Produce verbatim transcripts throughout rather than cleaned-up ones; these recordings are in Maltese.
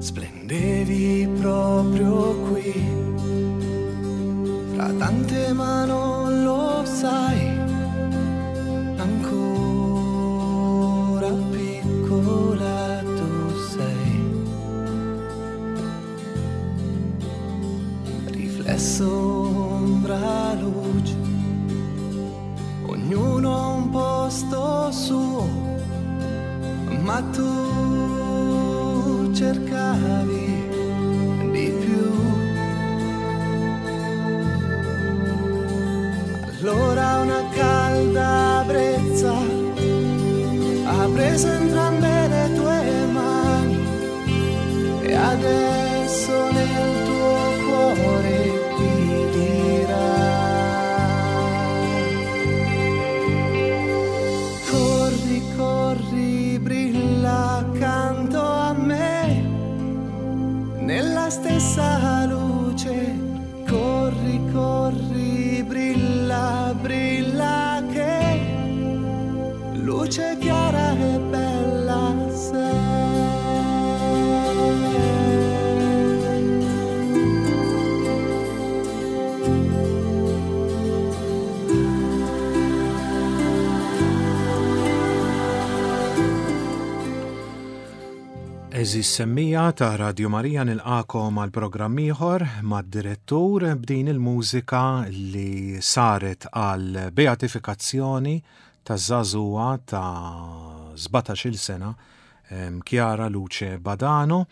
Splendevi proprio qui, fra tante ma non lo sai, ancora piccola tu sei. Riflesso, ombra, luce, ognuno ha un posto suo, ma tu cercavi di più. Allora una calda brezza ha preso entrambe le tue mani e adesso nel tuo cuore ti dirà: corri, corri, brilla accanto a me nella stessa luce. Corri, corri, brilla, brilla che luce chiara e bella sei. Għeżież semmiegħa ta' Radio Marija, nilqagħkom għal programm ieħor mad-direttur b'din il-mużika li saret għal beatifikazzjoni ta' żagħżugħa ta' sbatax-il sena, Chiara Luce Badano,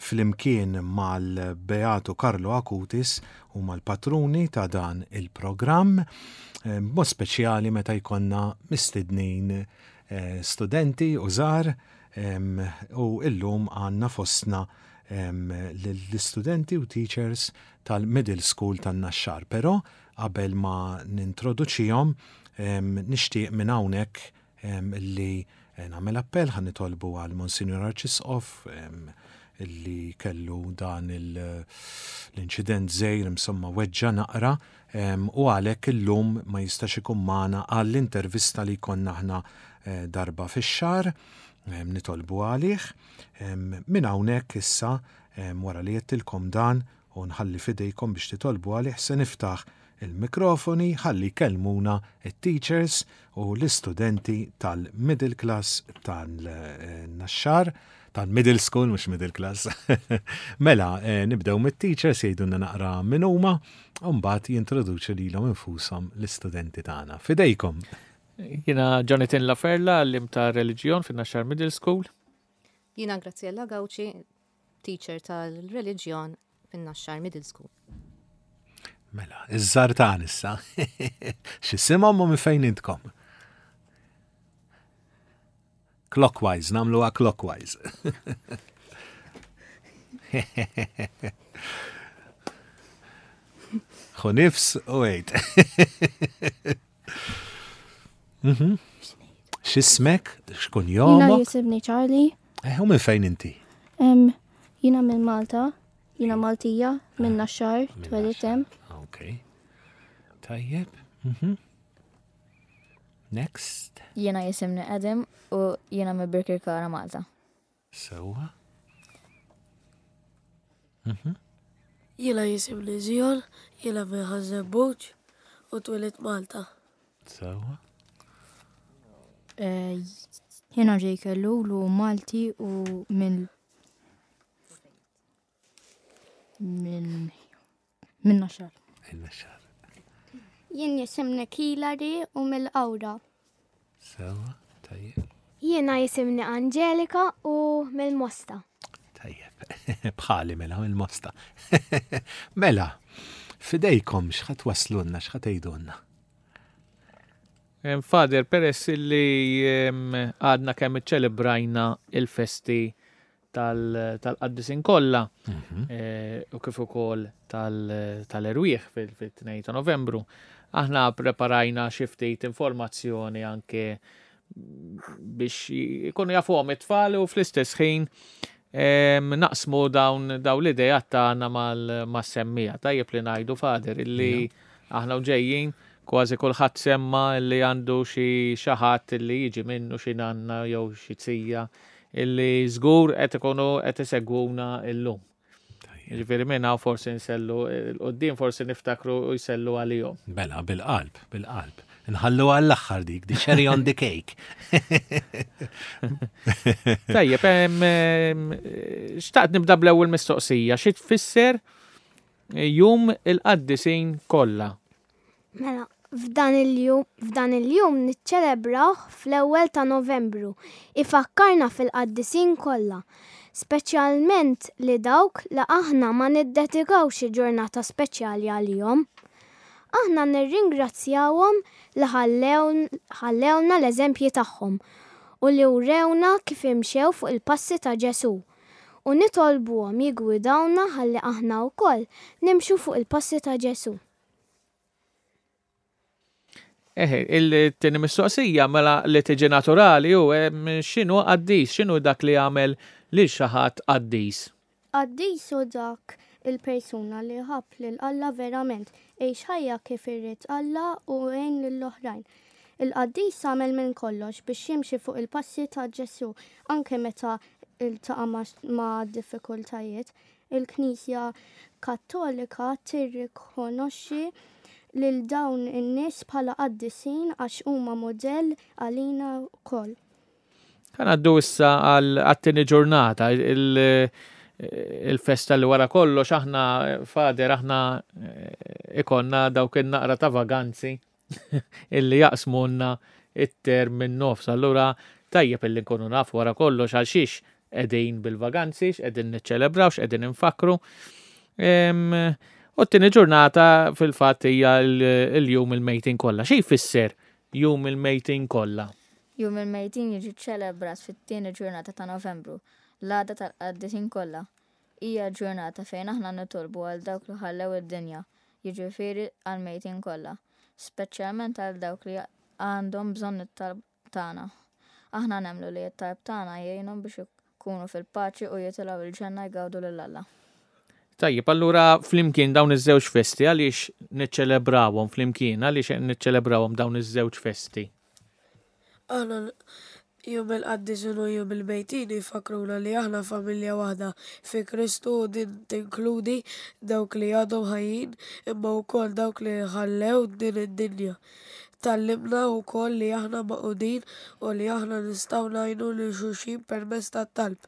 flimkien mal-Beatu Carlo Acutis u mal-patruni ta' dan il-programm, mod speċjali meta jkollna mistednin eh, studenti u żgħar, u illum għandna fostna l-istudenti u teachers tal-middle school tan-Naxxar. Però qabel ma nintroduċihom, nixtieq minn hawnhekk li nagħmel appell, ħa nitolbu għal Monsignor Arċisqof li kellu dan l-inċident żgħir, insomma weġġa naqra, u għalhekk illum ma jistax ikun magħna għall-intervista li konna aħna eh, darba fix-xahar. Nitolbu għalih. Minn hawnhekk issa, wara li għedtilkom dan u nħalli fidejkom biex titolbu għalih, se niftaħ il-mikrofoni ħalli jkellmuna it-teachers u l-istudenti tal-middle class tal-Naxxar, tal-middle school, mhux middle class. Mela, eh, nibdew mit-teachers, jgħidulna naqra min huma, u mbagħad jintroduċu lilhom infushom l-istudenti tagħna. Fidejkom. Jiena Jonathan Laferla, għalliem ta' reliġjon fin-Naxxar Middle School. Jiena Graziella Gauci, teacher tal-reliġjon fin-Naxxar Middle School. Mela, iż-żgħar tagħna issa. X'isimhom u minn fejn intkom? Clockwise, nagħmluha clockwise. Ħu nifs u għid. Mhm. X'ismek? X'kun Jiena jomok? jisimni Charlie, Eh, u minn fejn inti? em, jiena minn Malta, jiena Maltija, minn Naxxar, twelidt hemm. Ok. Tajjeb. Mhm. Next. Jiena jisimni Adam u jiena minn Birkirkara, Malta. Sewwa. Mhm. Jiena jisimni Zion, jiena minn Ħaż-Żebbuġ u twelidt Malta. Sewwa. Eh, Jiena Jake Ellul u Malti u minn minn minn Naxxar. Il-Naxxar. Jien jisimni Kilari u mill-Qawra. Sewwa. Tajjeb. Jiena jisimni Angelika u mill-Mosta. Tajjeb. Bħali mela mill-Mosta. Mela, fidejkom x'ħa twasslulna, x'ħa tgħidulna? Em, Father, peress li em, għadna kemm iċċelebrajna il-festi tal- tal-qaddisin kollha eh, u kif ukoll tal- tal-erwieħ fil-tnejn ta' Novembru, aħna preparajna xi ftit informazzjoni anke biex ikunu jafuhom it-tfal u fl-istess ħin em, naqsmu dawn dawn l-idejat tagħna mal-semmiegħa. Tajjeb li ngħidu, Father, illi aħna u ġejjin kważi kulħadd semma li għandu xi xi ħadd li jiġi minnu, xi nanna jew xi zija illi żgur qed ikunu qed isegwuna illum. Ġifieri minn hawn forsi nsellu 'l quddiem, forsi niftakru u jsellu għalihom. Bela, bil-qalb, bil-qalb. Nħallu għall-aħħar dik, the cherry on the cake. Tajjeb, em, em, xtaqt nibda bl-ewwel mistoqsija, xi tfisser Jum il-Qaddisin Kollha? Mela, f'dan il-jum, f'dan il-jum niċċelebrawh fl-ewwel ta' Novembru. Ifakkarna fil-qaddisin kollha, speċjalment li dawk li aħna ma niddedikaw xi ġurnata speċjali għalihom. Aħna nirringrazzjawhom li ħallew- ħallewna l-eżempji tagħhom u li wrewna kif imxew fuq il-passi ta' Ġesu. U nitolbuhom jiggwidawna ħalli aħna wkoll nimxu fuq il-passi ta' Ġesu. Eħe, il-tieni mistoqsija mela li tiġi naturali hu em, x'inhu qaddis, x'inhu dak li jagħmel lil xi ħadd qaddis? Qaddis hu dak il-persuna li ħabb lil Alla verament, għex ħajja kif irid Alla u għen lill-oħrajn. Il-qaddis għamel minn kollox biex jimxi fuq il-passi ta' Ġesu, anke meta iltaqa' ma' ma' diffikultajiet. Il-Knisja Kattolika tirrikonoxxi lil dawn in-nies bħala qaddisin għax huma mudell għalina wkoll. Ħa ngħaddu issa għal għat-tieni ġurnata, il- il-festa li wara kollox aħna, Father, aħna eh, ikollna dawk in-naqra ta' vaganzi illi jaqsmunna it-term minn nofs. Allura tajjeb illi nkunu nafu wara kollox għal xiex qegħdin bil-vaganzi, x'qegħdin niċċelebraw, x'qegħdin infakru. Em, U t-tieni ġurnata fil-fatt hija l- il-jum il-mejtin kollha. Xi jfisser Jum il-Mejtin Kollha? Jum il-Mejtin jiġi ċelebrat fit-tieni ġurnata ta' Novembru, l-għada tal-qaddisin kollha. Hija ġurnata fejn aħna nitolbu għal dawk li ħallew id-dinja, jiġifieri għal-mejtin kollha, speċjalment għal dawk li għandhom bżonn it-talb tagħna. Aħna nemmnu li t-talb tagħna jgħinhom biex ikunu fil-paċi u jitilgħu il-ġenna jgawdu lil Alla. Tajjeb, allura flimkien dawn iż-żewġ festi għaliex niċċelebrawhom flimkien, għaliex niċċelebrawhom dawn iż-żewġ festi? Aħna Jum il-Qaddisin u Jum il-Mejtin jfakruna li aħna familja waħda fi Kristu u din tinkludi dawk li għadhom ħajjin imma wkoll dawk li ħallew din id-dinja. Tgħallimna wkoll li aħna magħqudin u li aħna nistgħu ngħinu lil xulxin permezz tat-talb.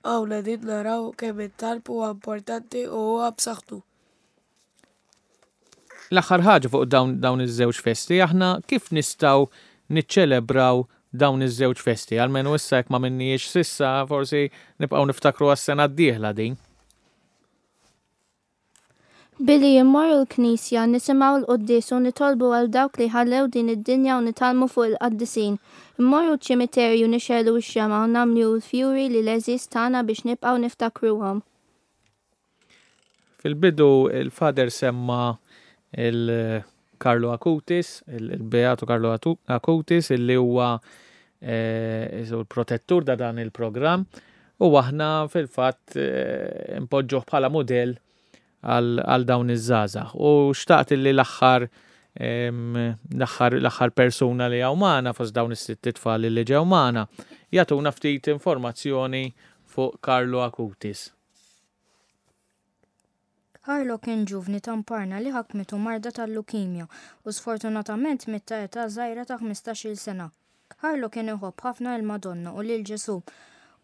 Hawn qegħdin naraw kemm it-talb huwa importanti u huwa b'saħħtu. L-aħħar ħaġa fuq dawn, dawn iż-żewġ festi, aħna kif nistgħu niċċelebraw dawn iż-żewġ festi? Almenu issa jekk ma minniex s'issa, forsi nibqgħu niftakru għas-sena d-dieħla din. Billi immorru l-knisja, nisimgħu l-quddies u nitolbu għal dawk li ħallew din id-dinja u nitgħallmu fuq il-qaddisin. Immorru ċ-ċimiterju, nixegħlu x-xemgħa u nagħmlu l-fjuri lill-għeżież tagħna biex nibqgħu niftakruhom. Fil-bidu il-Father semma il-Carlo Acutis, il-Beato Carlo Atu- Acutis, illi huwa eh, il-protettur da dan il-programm, u aħna fil-fatt eh, impoġġuh bħala modell għal għal dawn iż-żgħażagħ. U xtaqt illi l-aħħar em, l-aħħar l-aħħar persuna li hawn magħna fost dawn is-sitt tfal li ġew magħna jagħtuna ftit informazzjoni fuq Carlo Acutis. Carlo kien ġuvni ta' Parma li ħakmitu marda tal-lukimja u sfortunatament miet ta' età żgħira ta' ħmistax-il sena. Carlo kien iħobb ħafna il-Madonna u lil Ġesu.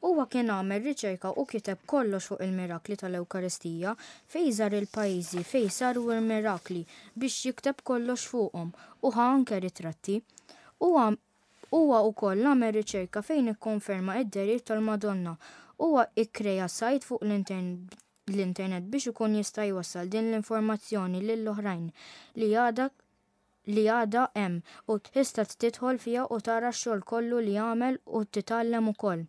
Huwa kien għamel riċerka u kiteb kollox fuq il-mirakli tal-Ewkaristija, fejn żar il-pajjiżi fejn saru il-mirakli biex jikteb kollox fuqhom u ħa anke ritratti. Huwa huwa wkoll għamel riċerka fejn ikkonferma id-dehriet tal-Madonna. Huwa ikkreja sajt fuq l-internet l-internet biex ikun jista' jwassal din l-informazzjoni lill-oħrajn li għadha li għadha hemm u tista' tidħol fiha u tara x-xogħol kollu li għamel u titgħallem ukoll.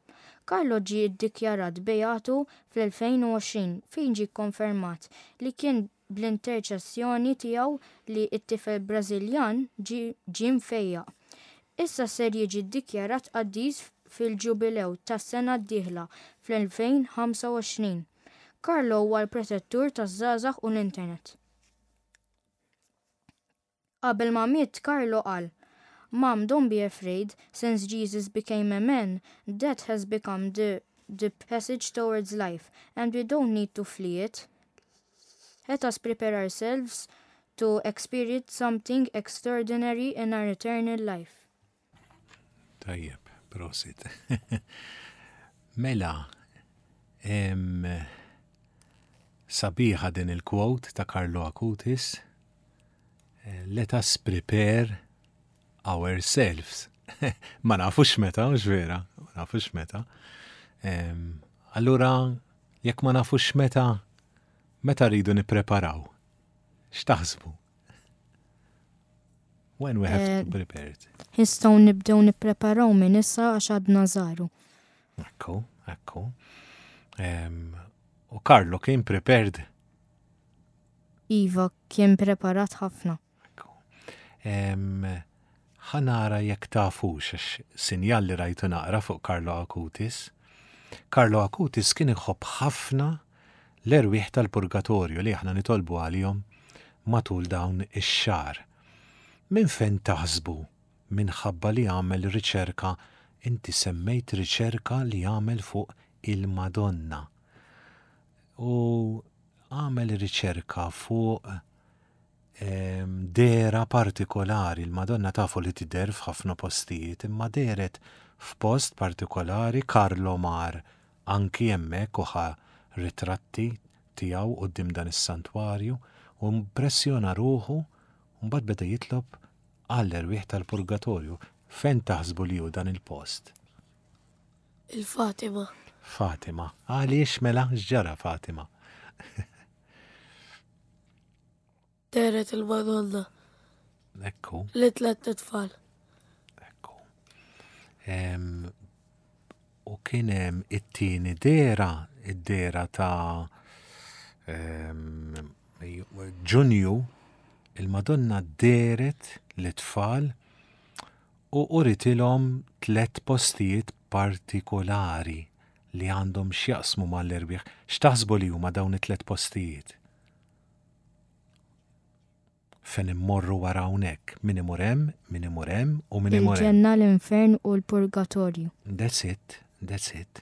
Carlo ġie ddikjarat beatu fl-elfejn u għoxrin fejn ġie konfermat li kien bl-interċessjoni tiegħu li t-tifel Brażiljan ġie mfejjaq. Issa ser jiġi ddikjarat qaddis fil-ġubilew tas-sena d-dieħla fl-elfejn u ħamsa u għoxrin. Carlo huwa l-protettur taż-żgħażagħ u l-internet. Qabel ma miet, Carlo qal: "Mom, don't be afraid, since Jesus became a man, that has become the the passage towards life, and we don't need to flee it. Let us prepare ourselves to experience something extraordinary in our eternal life. Tajjeb, prosit. Mela, em, sabiħa din il-quote ta' Carlo Acutis. Eh, Let us prepare ourselves. Ma nafux meta, mhux vera, ma nafux meta. Em, Allura, jekk ma nafux meta, meta rridu nippreparaw? X'taħsbu? When we have to Eh, prepare it. Nistgħu nibdew nippreparaw minn issa għax għadna żgħar. Ekku, ekku. Em, U Carlo kien prepared. Iva kien preparat ħafna. Em, Ħa nara jekk tafux, għax sinjal li rajtu naqra fuq Carlo Acutis. Carlo Acutis kien iħobb ħafna l-erwieħ tal-purgatorju li aħna nitolbu għalihom matul dawn ix-xahar. Minn fejn taħsbu minħabba li għamel riċerka, inti semmejt riċerka li għamel fuq il-Madonna. U għamel riċerka fuq em, dehra partikolari, il-Madonna tafu li tidher f'ħafna postijiet, imma dehret f'post partikolari Carlo mar anki hemmhekk u ħa ritratti tiegħu quddiem dan is-santwarju u impressjona ruħu u mbagħad beda jitlob għall-erwieħ tal-purgatorju. Fejn taħsbu li hu dan il-post? Il-Fatima. Fatima. Għaliex mela x'ġara Fatima? Dehret il-Madonna. Ekku. Li tlet tfal. Em, u kien hemm it-tieni dehra, id-dehra ta' em, Ġunju, il-Madonna dehret lit-tfal u uritilhom tlet postijiet partikolari li għandhom x'jaqsmu mal-erwieħ. X'taħsbu li huma dawn it-tlet postijiet? Fejn immorru wara hawnhekk, min imur hemm, min imur hemm u min imur hemm. Il-ġenna, l-infern u l-purgatorju. That's it, that's it.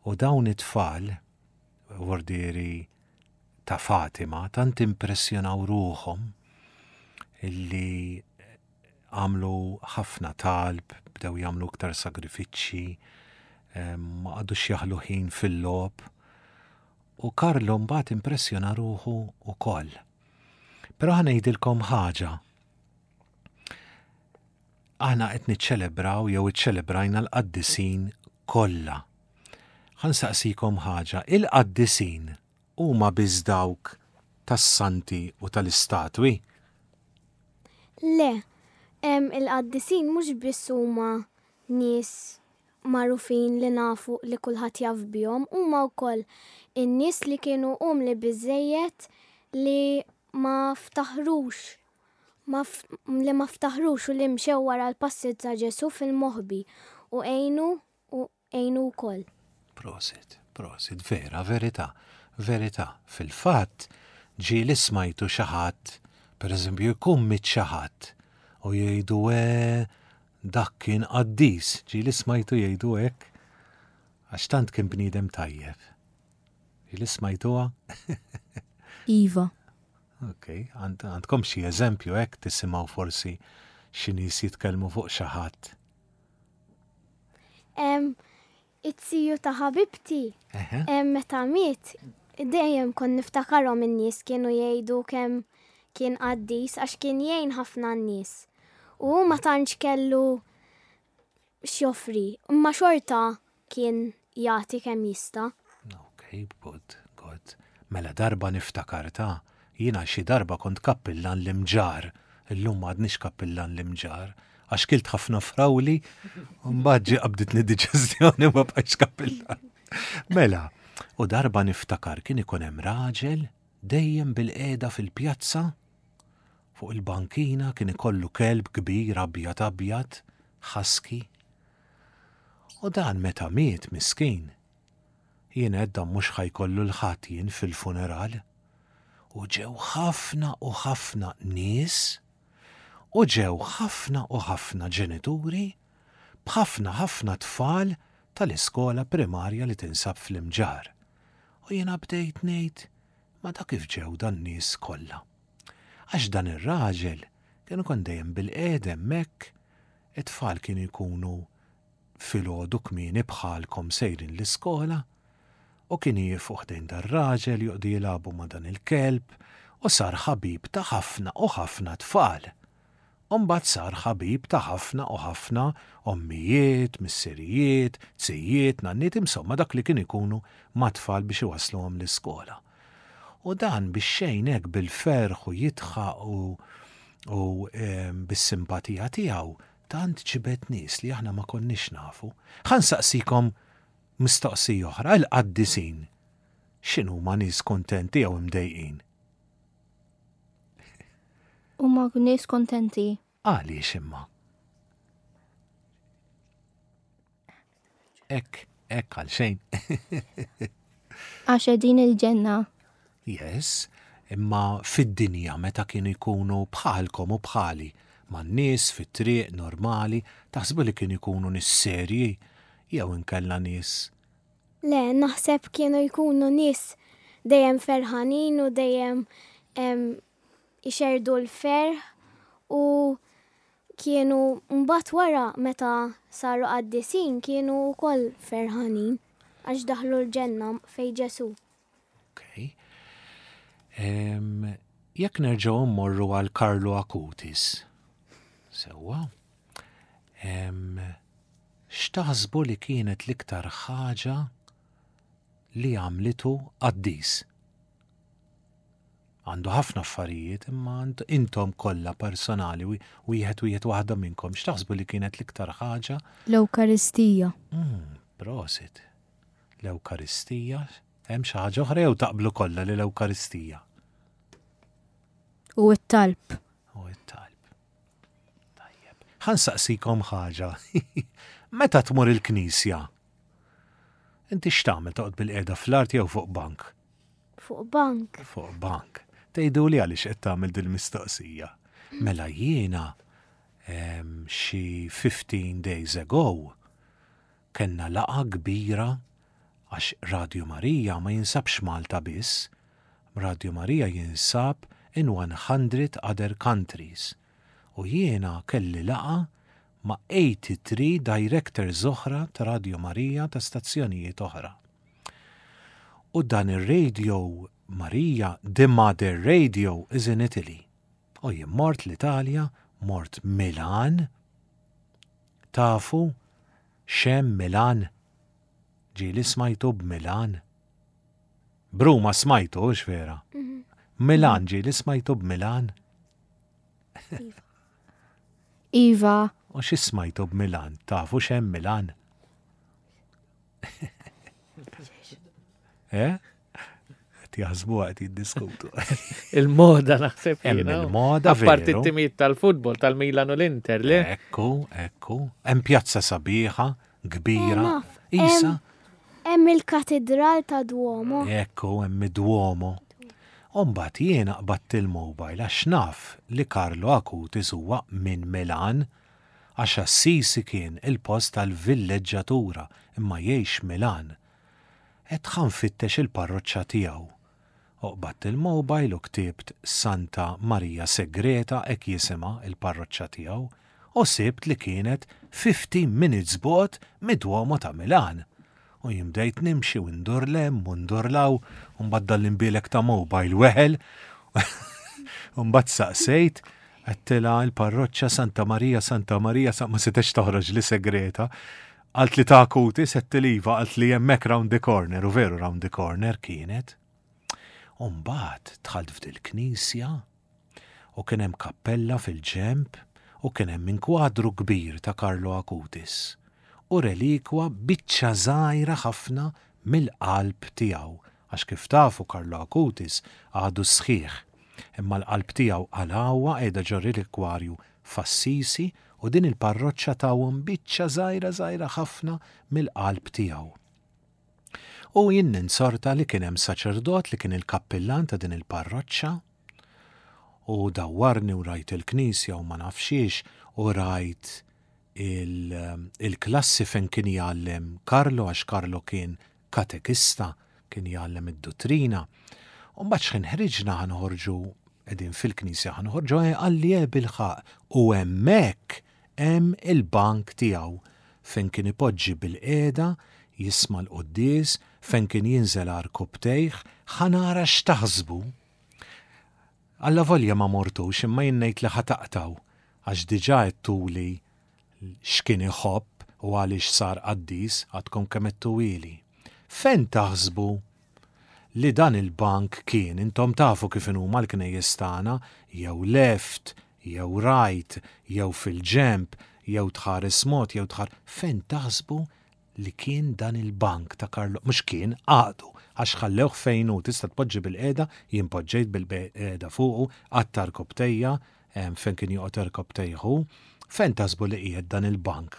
U dawn it-tfal, vordieri ta' Fatima, tant impressjonaw ruħhom illi għamlu ħafna talb, bdew jagħmlu iktar sagrifiċċji, em, ma qagħdux jaħlu ħin fil-logħob. U Carlo mbagħad impressjona ruħu ukoll. Però ħa ngħidilkom ħaġa. Aħna qed niċċelebraw jew iċċelebrajna l-qaddisin kollha. Ħa nsaqsikom ħaġa, il-qaddisin huma biss dawk tas-santi u tal-istatwi? Le, em, il-qaddisin mhux biss huma nies magħrufin li nafu li kulħadd jaf bihom, huma wkoll in-nies li kienu umli biżejjed li ma ftaħrux ma f- li ma ftaħrux u li mxew wara l-passi ta' Ġesu fil-moħbi u għenu u għenu wkoll. Prosit, prosit, vera, verità, verità. Fil-fatt, ġieli smajtu xi ħadd, per eżempju, jkun miet xi ħadd u jgħidu e, dak kien qaddis, ġieli smajtu jgħidu hekk, għax tant kien bniedem tajjeb. Ġieli smajtuha? Iva. Ok, għand- għandkom xi eżempju hekk tisimgħu forsi xi nies jitkellmu fuq xi ħadd. Em, It-siju ta' ħabibti Eħe. em, meta miet, dejjem kon niftakarhom in-nies kienu jgħidu kemm kien qaddis għax kien jgħin ħafna n-nies. U hu ma tantx kellu x'joffri, imma xorta kien jagħti kemm jista'. Ok, good, good. Mela darba niftakar ta' jiena xi darba kont kappillan l-Imġarr, illum m'għadnix kappillan l-Imġarr, għax kilt ħafna frawli, u mbagħad ġie qabditni diġestjoni u ma bqajtx kappillan. Mela, u darba niftakar kien ikun hemm raġel dejjem bilqiegħda fil-pjazza fuq il-bankina kien ikollu kelb kbir abjad abjad, husky. U dan meta miet miskin, jien għedt mhux ħa jkollu 'l ħadd jien fil-funeral. U ġew ħafna u ħafna nies, u ġew ħafna u ħafna ġenituri, b'ħafna ħafna tfal tal-iskola primarja li tinsab fl-Imġarr. U jiena bdejt ngħid, ma da kif ġew dan nies kollha? Għax dan ir-raġel kienu kon dejjem bilqiegħda hemmhekk, it-tfal kienu jkunu filgħodu kmieni bħalkom sejrin l-iskola, u kien jieqfu ħdejn dar-raġel joqogħdu jilagħbu ma' dan il-kelb u sar ħabib ta' ħafna u ħafna tfal. U mbagħad sar ħabib ta' ħafna u ħafna ommijiet, missirijiet, zijiet, nanniet, insomma dak li kien ikunu ma' tfal biex iwasluhom l-iskola. U dan biex xejn hekk bil-ferħ u jidħaq u, u em, bis-simpatija tiegħu tant ġibed nies li aħna ma konniex nafu. Ħa nsaqsikom mistoqsija oħra, il-qaddisin. X'inhuma, nies kontenti jew imdejqin? Huma nies kontenti. Għaliex imma? Ek, ek għal xejn. Għax qegħdin il-ġenna. Yes, imma fid-dinja meta kienu jkunu bħalkom u bħali, man-nies fit-triq normali, taħsbu li kienu jkunu nies serji jew inkella nies Le, naħseb kienu jkunu nies dejjem ferħanin u dejjem em, ixerdu l-ferħ u kienu mbagħad wara meta saru qaddisin kienu wkoll ferħanin għax daħlu l-ġenna fejn Ġesu. Ok. Em, Jekk nerġgħu mmorru għal Carlo Acutis. Sewwa. Em, X'taħsbu li kienet l-iktar ħaġa li għamlitu qaddis? Għandu ħafna affarijiet, imma ant- intom kollha personali, wi- wieħed wieħed waħda minnkom, x'taħsbu li kienet l-iktar ħaġa? L-Ewkaristija. Mm, prosit. L-Ewkaristija, hemm xi ħaġa oħra jew taqblu kollha li l-Ewkaristija? U t-talb. U it-talb. Tajjeb. Ħa nsaqsikom ħaġa. Meta tmur il-knisja? Inti x'tagħmel, toqgħod bilqiegħda fl-art jew fuq bank? Fuq bank. Fuq bank. Tgħidu li għaliex qed tagħmel dil-mistoqsija. Mela jiena em, xi fifteen days ago kellna laqgħa kbira għax Radio Marija ma jinsabx Malta biss. Radio Marija jinsab in one hundred other countries. U jiena kelli laqgħa ma' eighty-three directors oħra ta' Radio Marija ta' stazzjonijiet oħra. U dan ir-Radio Marija, the Mother Radio, is in Italy. U jien mort l-Italja, mort Milan. Tafu x'hemm Milan? Ġieli smajtu b'Milan? B'Ruma smajtu, hux vera? Milan, ġieli smajtu b'Milan? Iva. U xi smajtu b'Milan? Tafu x'hemm Milan? Eh? Qed jaħsbu, qed jiddiskutu. Il-moda naħseb Hemm jiena. il-moda, Apparti veru. t-timijiet tal-futbol, tal-Milan u l-Inter, le? Ekku, ekku. Hemm pjazza sabiħa, kbira. Eh, naf. Isa, Hemm il-katedral ta' Duomo. Ekku, hemm id-Duomo. U mbagħad jiena qbadt il-mobile għax naf li Carlo Acutis huwa minn Milan, għax Assisi kien il-post tal-villeġġatura imma jgħix Milan. Et ħa nfittex il-parroċċa tiegħu. U qbadt il-mobile u ktibt Santa Maria Segreta, hekk jisimha il-parroċċa tiegħu, u sibt li kienet fifteen minutes bogħod mid-Duomo ta' Milan. U jien bdejt nimxi u ndur 'l hemm u ndur 'l hawn, u mbagħad dal-imbielek ta' mobile weħel. U mbagħad saqsejt, għedtilha l-parroċċa Santa Maria, Santa Maria, sa ma setgħetx toħroġ li Segreta. Qaltli li ta' Acutis, għedtilha iva, qaltli hemmhekk round the corner, u veru round the corner kienet. U mbagħad dħalt f'dil-knisja u kien hemm kappella fil-ġemp u kien hemm inkwadru kbir ta' Carlo Acutis u relikwa, biċċa żgħira ħafna mill-qalb tiegħu, għax kif tafu Carlo Acutis għadu sħiħ, imma l-qalb tiegħu qalgħuha, qiegħda ġo relikwarju f'Assisi u din il-parroċċa tawhom biċċa żgħira żgħira ħafna mill-qalb tiegħu. U jien ninsorta li kien hemm saċerdot li kien il-kappillan ta' din il-parroċċa u dawwarni u rajt il-knisja u ma nafxiex u rajt il-klassi fejn kien jgħallem Karlo, għax Karlo kien katekista, kien jgħallem id-dottrina. U mbagħad x'ħin ħriġna ħa noħorġu, qegħdin fil-knisja ħa noħorġu, qalli eh bilħaqq u hemmhekk hemm il-bank tiegħu fejn kien ipoġġi bilqiegħda, jisma' l-quddies, fejn kien jinżel għarkupptejh, ħa nara x'taħsbu. Alla volja ma mortux, imma jien ngħid li ħa taqtgħu, għax diġà għedtuli x'kien iħobb u għaliex sar qaddis, għadkom kemm għedtuhieli. Fejn taħsbu li dan il-bank kien? Intom tafu kif huma l-knejjes tagħna, jew left, jew right, jew fil-ġemp, jew tħares mod, jew tħar. Fejn taħsbu li kien dan il-bank ta' Karlo? Mhux kien, għadu, għax ħallewh fejn hu, tista' tpoġġi bilqiegħda, jien poġġejt bilqiegħda fuqu, għatta rkopptejja, fejn kien joqgħod rkopptejh hu. Fejn taħsbu li qiegħed dan il-bank?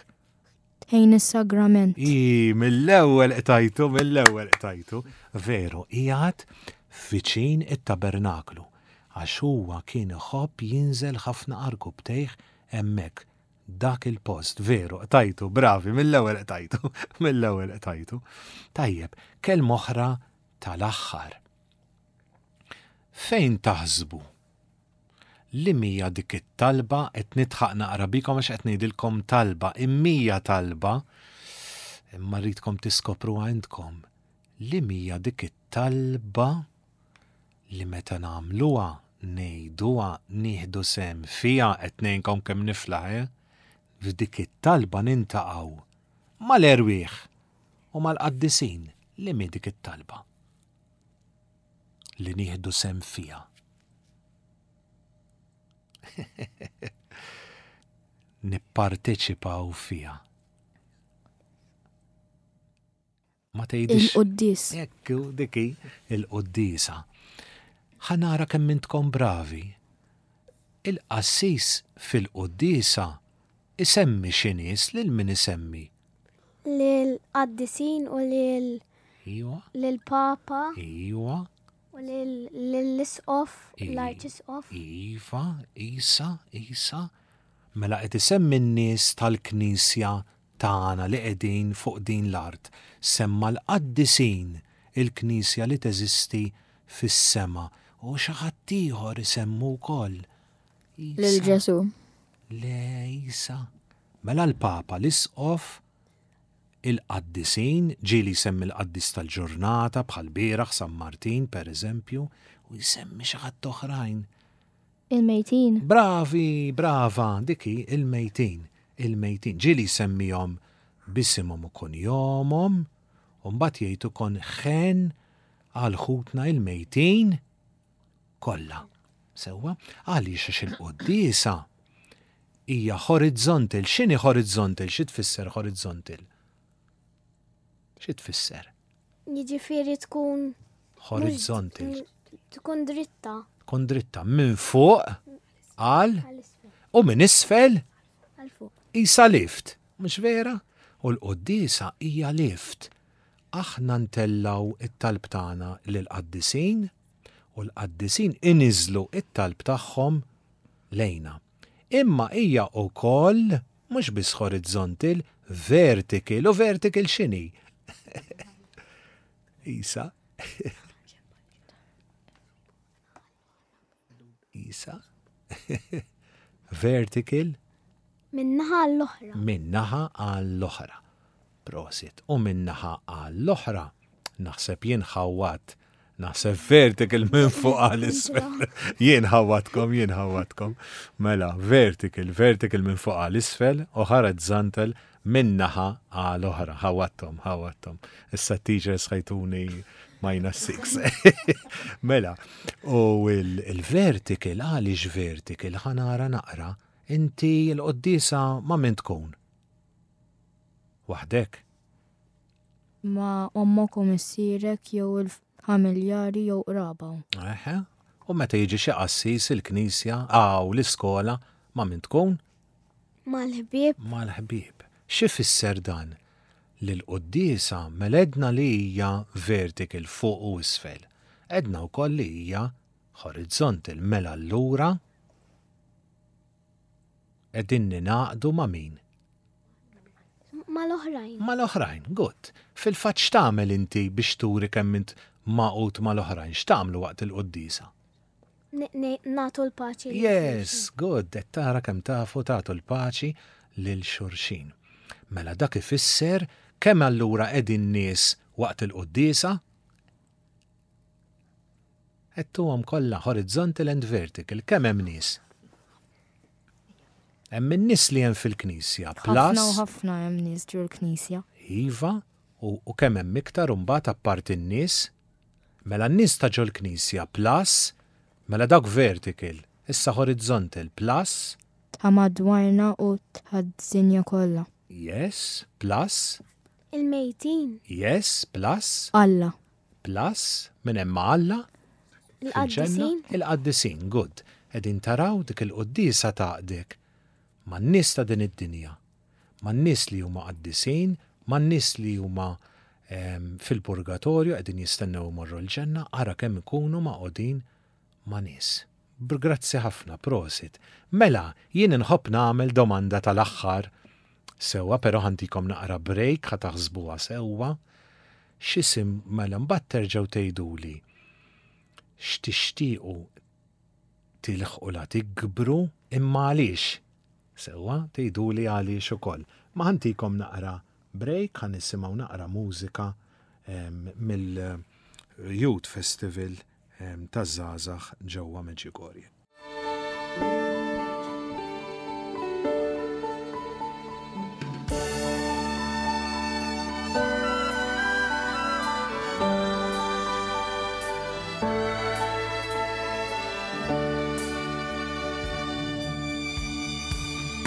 Ħdejn is-sagrament. I, mill-ewwel qtajtu, mill-ewwel qtajtu. Veru, qiegħed viċin it-tabernaklu, għax huwa kien iħobb jinżel ħafna għarkupptejh hemmhekk. Dak il-post, veru, qtajtu, bravi, mill-ewwel qtajtu, mill-ewwel qtajtu. Tajjeb, kelma oħra tal-aħħar. Fejn taħsbu li mija dik it-talba? Qed nidħaq naqra bikom għax qed ngħidilkom talba, immija talba, imma rridkom tiskopru għandkom. Li mija dik it-talba li meta nagħmluha, ngħiduha, nieħdu sehem fiha, qed ngħinkom kemm niflaħ, eh? F'dik it-talba niltaqgħu mal-erwieħ u mal-qaddisin. Li mi dik it-talba li nieħdu sehem fiha? Nipparteċipaw fiha. Ma tgħidix. Il-quddies. Ekku, diki, il-quddiesa. Ħa nara kemm intkom bravi. Il-qassis fil-quddiesa isemmi xi nies, lil min isemmi? Lil-qaddisin u lil Iwa. lil-papa. Iwa. U lill-isqof, I- l-arċisqof. Iva, Isa, Isa. Mela qed isemmi n-nies tal-Knisja tagħna li qegħdin fuq din l-art. Semma l-qaddisin, il-Knisja li teżisti fis-sema. U xi ħadd ieħor isemmu wkoll. Isa. Lil Ġesu. Le, Isa. Mela l-Papa, l-Isqof, il-qaddisin, ġieli jsemmi l-qaddis tal-ġurnata bħal bieraħ San Martin, per eżempju, u jsemmi xi ħadd oħrajn. Il-mejtin. Bravi, brava, diki, il-mejtin, il-mejtin. Ġieli jsemmihom b'isimhom u kunjomhom, u mbagħad jgħid ukoll ħen għal ħutna il-mejtin kollha. Sewwa, għaliex għax il-quddiesa hija horizontal. X'inhi horizontal? Xi tfisser horizontal? Xi tfisser? Jiġifieri tkun Horizontal. Tkun dritta. Tkun dritta minn fuq għal Għal isfel. u minn isfel Għal fuq. Isa lift, mhux vera? U l-quddiesa hija lift. Aħna ntellgħu it-talb tagħna lill-qaddisin u l-qaddisin iniżlu it-talb tagħhom lejna. Imma hija wkoll mhux biss horizontal, vertical. U vertical x'inhi? Isa. Isa. Vertical. Min-naħa għall-oħra. Min-naħa għall-oħra. Prosit. U min-naħa għall-oħra, naħseb jien ħawat. Naħseb vertical minn fuq għal isfel. Jien ħawatkom, jien ħawatkom. Mela, vertical, vertical minn fuq għal isfel u horizontal minn naħa għal oħra. Ħawattom, ħawattom. Issa teachers ħa jtuni minus six. Mela, u il-vertical, għaliex vertical, ħa nara naqra, inti l-quddiesa ma' min tkun? Waħdek? Ma' ommok u missierek jew il-familjari jew qraba. Eħe. U meta jiġi xi qassis il-knisja, aw l-iskola, ma' min tkun? Mal-ħbieb. Mal-ħbieb. Xi fisser dan? Li l-quddiesa mela għedna li hija vertical fuq u isfel. Għedna wkoll li hija horizontal, mela allura qegħdin ningħaqdu ma' min? Mal-oħrajn. Mal-oħrajn, good. Fil-fatt x'tagħmel inti biex turi kemm int magħqud mal-oħrajn? X'tagħmlu waqt il-quddiesa? Nagħtu l-paċi. Yes, good. Qed tara kemm tafu tagħtu l-paċi lil xulxin. Mela dak ifisser kemm allura qegħdin nies waqt il-quddiesa? Għedtuhom kollha horizontal and vertical, kemm hemm nies? Hemm in-nies li hemm fil-knisja, Ħafna u plus ħafna hemm nies ġol knisja. Iva, u, u kemm hemm iktar u mbagħad apparti n-nies? Mela n-nies ta' ġol-knisja plus, mela dak vertical, issa horizontal plus, Ta' madwarna u tad-dinja kollha. yes, plus, Il-mejtin. yes, plus, Alla. plus, minn hemm ma' Alla, fil-ġenna, Il-qaddisin. il-qaddisin, good. Qegħdin taraw dik il-quddiesa tgħaqqdek man-nies ta' din id-dinja, man-nies li huma qaddisin, man-nies li huma em, fil-purgatorju qegħdin jistennew imorru l-ġenna, ara kemm ikunu magħqudin ma' nies. Grazzi ħafna, prosit. Mela, jien inħobb nagħmel domanda tal-aħħar sewwa, però ħa ntikom naqra break ħa taħsbuha sewwa. X'isim mela mbagħad terġgħu tgħiduli x'tixtiequ tilħqu la tikbru imma għaliex. Sewwa, tgħiduli għaliex ukoll. Ma ħa ntikom naqra break, ħa nisimgħu naqra mużika em, mill-Youth Festival em, taż-żgħażagħ ġewwa Medjugorje.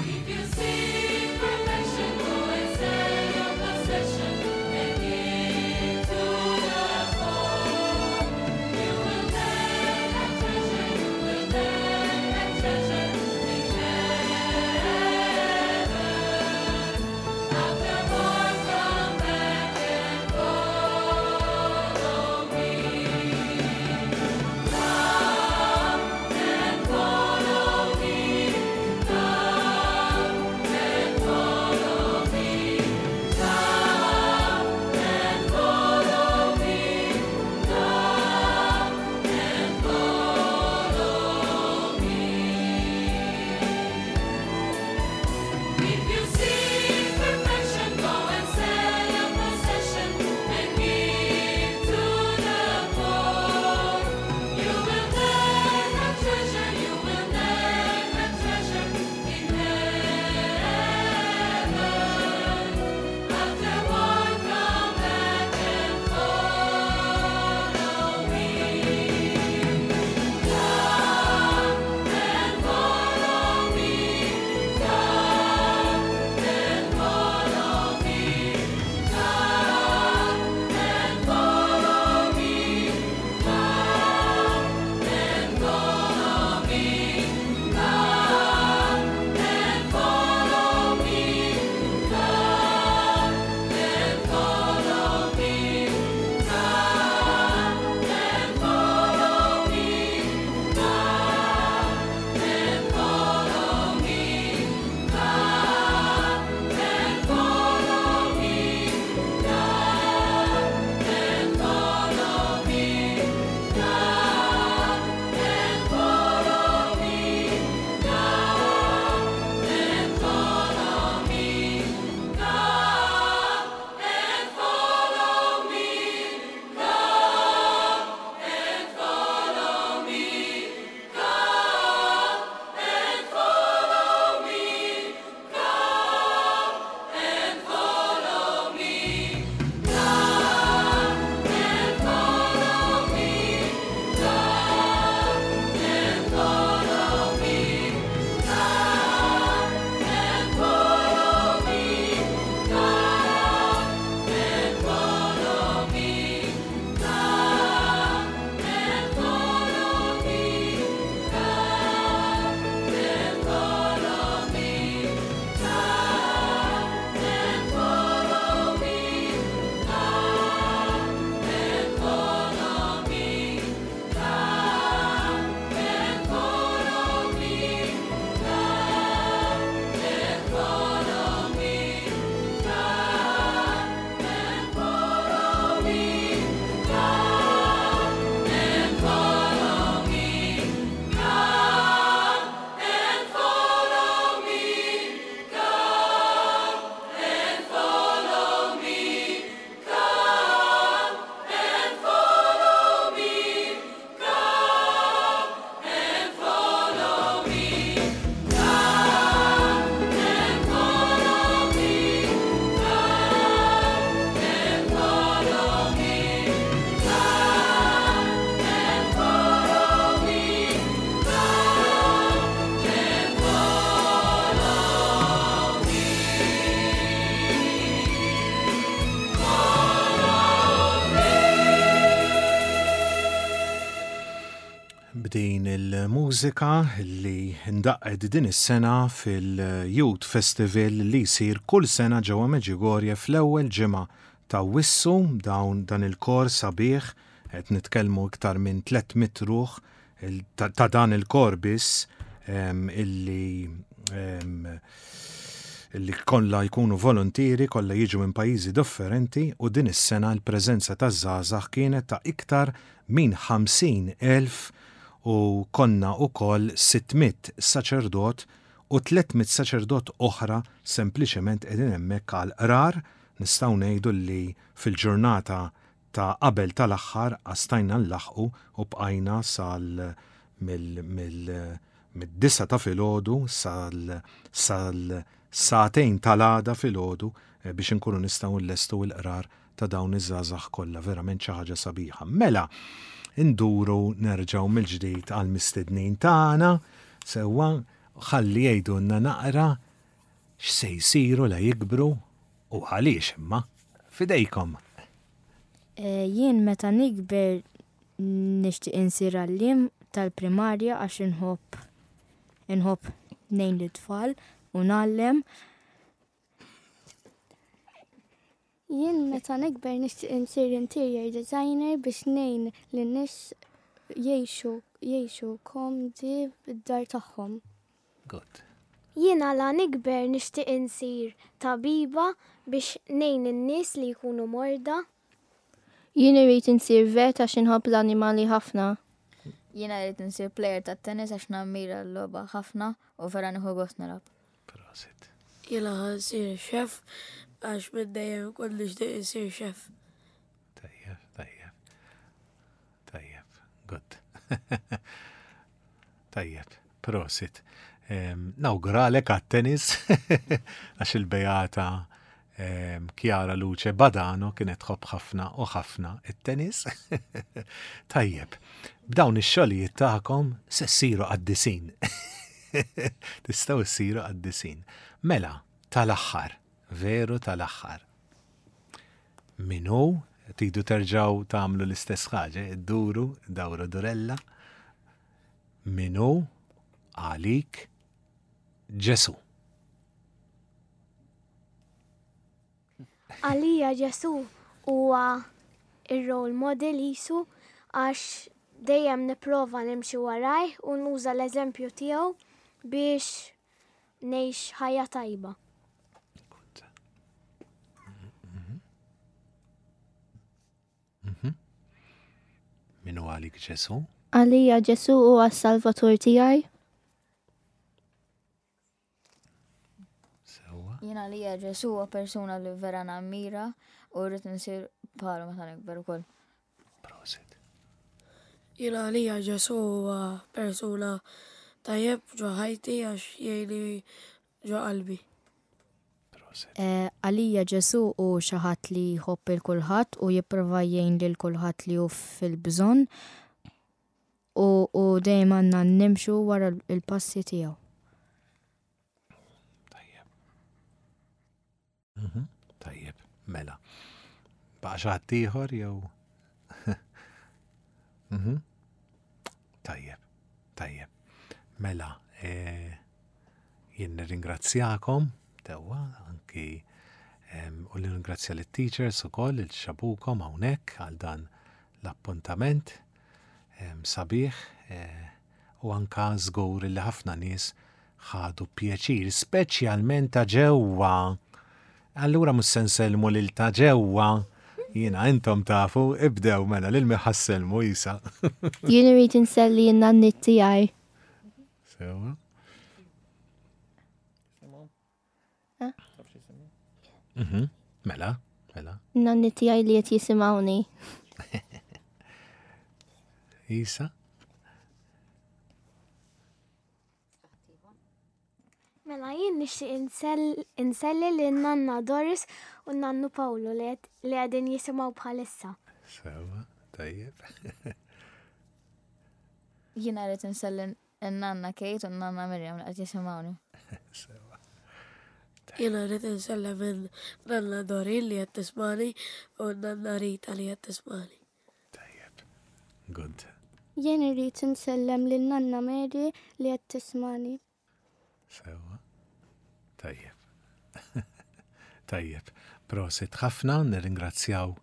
If you seek perfection, go and sell your possession and give to the poor. You will then have treasure, you will then have treasure in heaven. Afterward, come back and follow me. B'din il-mużika li ndaqqet din is-sena fil-Youth Festival li jsir kull sena ġewwa Medjugorje fl-ewwel ġimgħa ta' Awwissu. Dawn dan il-kor sabiħ, qed nitkellmu iktar minn tliet mitt ruħ ta' dan il-kor biss illi illi kollha jkunu volontieri, kollha jiġu minn pajjiżi differenti, u din is-sena l-preżenza taż-żgħażagħ kienet ta' iktar minn ħamsin elf u konna ukoll sitt mitt saċerdot u tliet mitt saċerdot oħra sempliċement qegħdin hemmhekk għal qrar. Nistgħu ngħidu li fil-ġurnata ta' qabel tal-aħħar stajna nlaħqu u bqajna sal mill mid-disgħa ta' filgħodu sal sal sagħtejn tal-għada filgħodu eh, biex inkunu nistgħu nlestu l-qrar ta' dawn iż-żgħażagħ kollha, verament xi ħaġa sabiħa. Mela, induru nerġgħu mill-ġdid għal mistednin tagħna, sewwa, ħalli jgħidulna naqra x'se jsiru la jikbru u għaliex, imma fidejkom. Eh, jien meta nikber nixtieq insir għalliem tal-primarja għax inħobb inħobb ngħin l-tfal u ngħallem. Jien meta nikber nixtieq insir interior designer biex ngħin lin-nies jgħixu jgħixu komdi bid-dar tagħhom. Good. Jiena la nikber nixtieq insir tabiba biex ngħin in-nies li jkunu morda. Jien irrid insir vet għax inħobb l-annimali ħafna. Jiena rrid insir player ta' tennis għax nammira l-logħba ħafna u vera nieħu gost nilgħab. Prosit. Jiena ħa nsir chef għax minn dejjem kont nixtieq insir chef. Tajjeb, tajjeb. Tajjeb, good. Tajjeb, prosit. Em, Nawguralek għat-tennis għax il-Beata em, Chiara Luce Badano kienet tħobb ħafna u ħafna it-tennis. Tajjeb, b'dawn ix-xogħlijiet tagħkom se ssiru qaddisin. Tistgħu ssiru qaddisin. Mela, tal-aħħar, veru tal-aħħar. Min hu, tridu terġgħu tagħmlu l-istess ħaġa, idduru, dawru durella. Min hu għalik Ġesu? Għalija Ġesu huwa ir-role model jisu għax dejjem nipprova nimxi warajh u nuża l-eżempju tiegħu biex ngħix ħajja tajba. Good. Mhm. Min hu għalik Ġesu? Għalija Ġesu huwa s-Salvatur tiegħi. Sewwa. Jiena għalija Ġesu huwa persuna li vera nammira u rrid insir bħalu meta nikber ukoll. Prosit. Jiena għalija Ġesu huwa persuna tajjeb ġo ħajti għax jgħinni ġo qalbi. Prosit. Eh, Għalija Ġesu hu xi ħadd li jħobb il kulħadd u jipprova jgħin lil kulħadd li hu fil-bżonn u, u dejjem għandna nimxu wara il-passi tiegħu. Tajjeb. Mhm, Tajjeb, mela. Baqa' xi ħadd ieħor jew? Mhm. Tajjeb, tajjeb. Mela, eh, jien nirringrazzjakom, sewwa, anki em, u nirringrazzja lit-teachers ukoll il ġabukom hawnhekk għal dan l-appuntament em, sabiħ eh, u anka żgur li ħafna nies ħadu pjaċir, speċjalment ta' ġewwa. Allura mhux se nsellmu lil ta' ġewwa. Jiena intom tafu, ibdew mela lil min ħa ssellmu issa. Jien irrid inselli n-nanniet tiegħi. Sewwa. Eh? Mhm. Mela, mela. N-nanniet tiegħi li qed jisimgħuni. Isa? Mela jien nixtieq insell- inselli lil nanna Doris u nannu Pawlu li qed- li qegħdin jisimgħu bħalissa. Sewwa, tajjeb. Jiena rrid inselli n-nanna Kate u n-nanna Miriam li qed jisimgħuni. Sewwa. Jiena rrid insellem in-nanna Dorin li qed tismani u n-nanna Rita li qed tismani. Tajjeb. Good. Jien irrid insellem lil Nanna Mary li qed tismani. Sewa. Tajjeb. Tajjeb. Prosit ħafna, nirringrazzjaw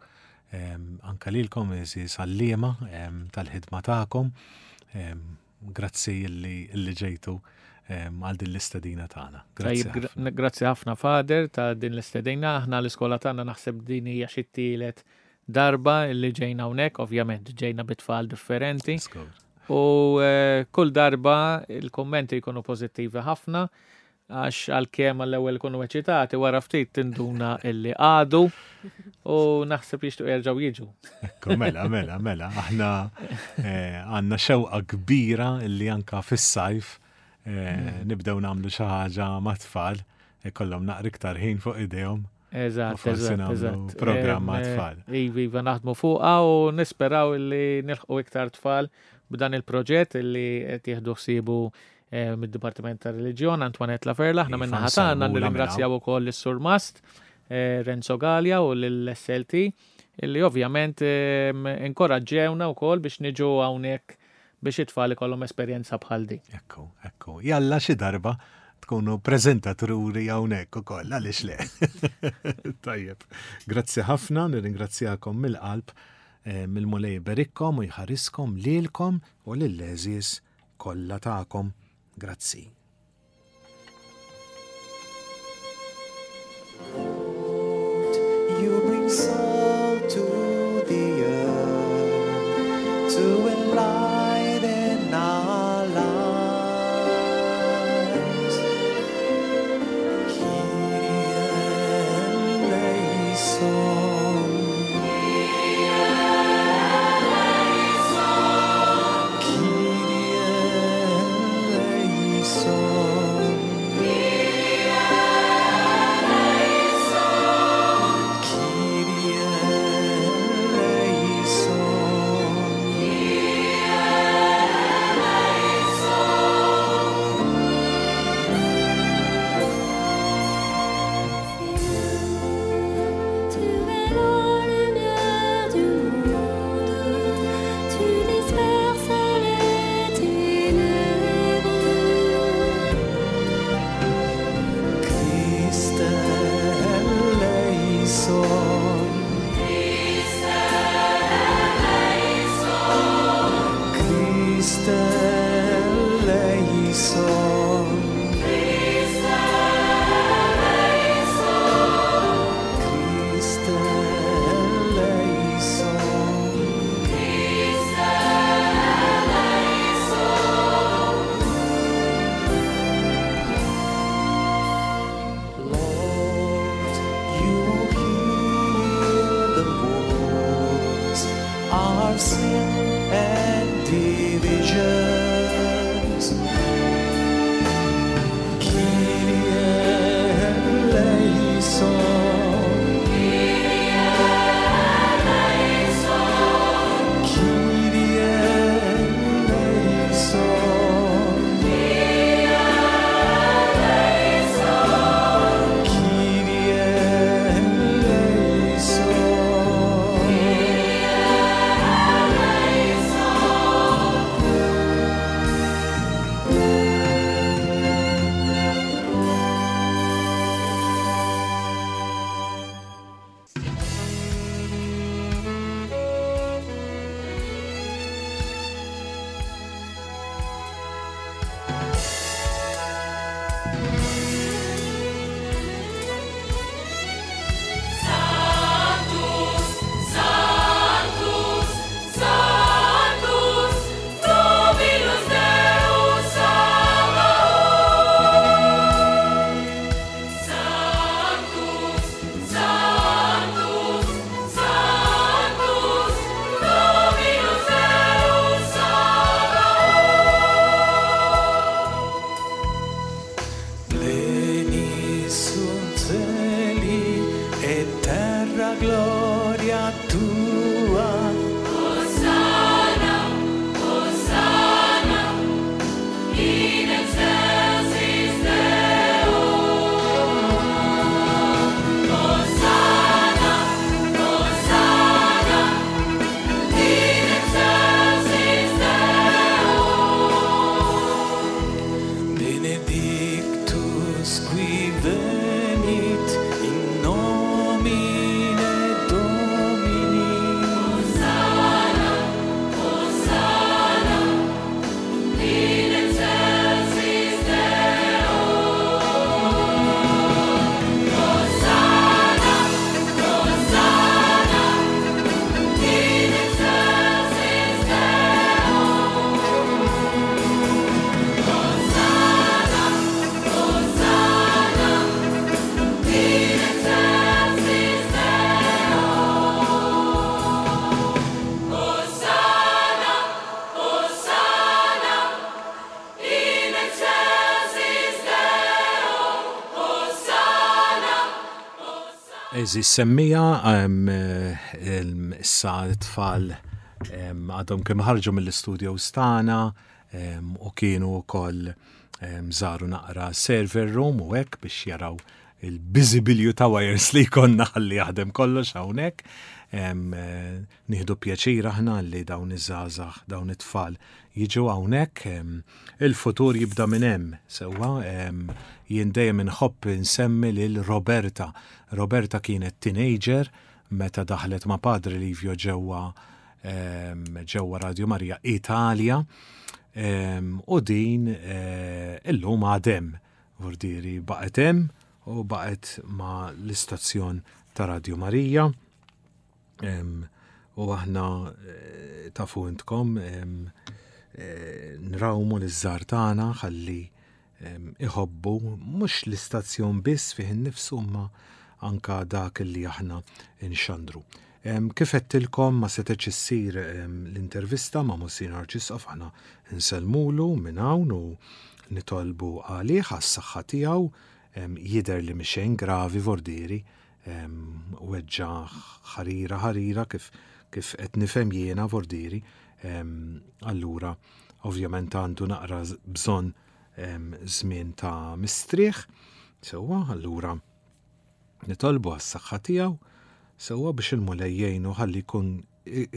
em, anka lilkom għeżież għalliema em, tal-ħidma tagħkom. Em, Grazzi illi illi ġejtu em, għal din l-istedina tagħna. Grazzi. Tajjeb, gra- Grazzi ħafna Father ta' din l-istedina. Aħna l-iskola tagħna naħseb din hija xi tielet darba li ġejna hawnhekk, ovvjament ġejna bit-tfal differenti. Żgur. U eh, kull darba il-kommenti jkunu pożittivi ħafna għax għalkemm għall-ewwel ikunu eċitati wara ftit tinduna illi għadu u naħseb jixtiequ jerġgħu jiġu. Ekku, mela, mela, mela, aħna eh, għandna xewqa kbira illi anka fis-sajf eh, nibdew nagħmlu xi ħaġa mat-tfal, ikollhom naqra iktar ħin fuq idejhom. Eżatt, U forsi eżatt, nagħmlu eżatt. programm Em, ma' tfal. Iva, iva, naħdmu fuqha u nisperaw illi nilħqu iktar tfal b'dan il-proġett illi qed jieħdu ħsiebu eh, mid-Dipartiment ta' Reliġjon, Antoinette Laferla, aħna Iva, minna ħatana nsellmulha minn nirringrazzjaw ukoll lis-Sur Mast, eh, Renzo Gallia u lill-S L T illi ovvjament em, inkoraġġewna wkoll biex niġu hawnhekk biex it-tfal ikollhom esperjenza bħal di. Ekku, ekku. Jalla xi darba tkunu preżentaturi hawnhekk ukoll, għaliex le. Tajjeb. Grazzi ħafna, nirringrazzjakom mill-qalb, eh, il-Mulej iberikkom u jħariskom lilkom u lill-għeżież kollha tagħkom. Grazzi. You bring salt to the earth to enlighten our lives. Kyrie eleison. Kyrie eleison. Kyrie Eżis semmija, issa t-tfal għadhom kemm ħarġu mill-istudio tagħna u kienu wkoll żaru naqra server room u hekk biex jaraw il-biżibilju ta' wires li jkollna ħalli jaħdem kollox hawnhekk. Nieħdu pjaċir aħna li dawn iż-żgħażagħ, dawn it-tfal jiġu hawnhekk. Il-futur jibda minn hemm, sewwa jien dejjem inħobb insemmi lil Roberta. Roberta kienet teenager meta daħlet ma' Padre Livio ġewwa ġewwa Radio Maria Italia u din illum għadha hemm vordiri baqgħet hemm u baqgħet ma' l-istazzjon ta' Radio Maria. U aħna tafu intkom nrawmu liż-żgħar tagħna ħalli iħobbu mhux l-istazzjon biss fih innifsu imma anka dak li aħna nxandru. Kif għedtilkom ma setgħetx issir l-intervista ma' Monsinjur Arċisqof, aħna nsellmulu minn hawn u nitolbu għalih għas-saħħa tiegħu, jidher li mhix gravi vordiri, weġġa ħarira ħarira kif kif qed nifhem jiena vordiri, allura ovvjament għandu naqra bżonn żmien ta' mistrieħ, sewwa allura nitolbu għas-saħħa tiegħu, sewwa biex il-Mulej jgħinu ħalli jkun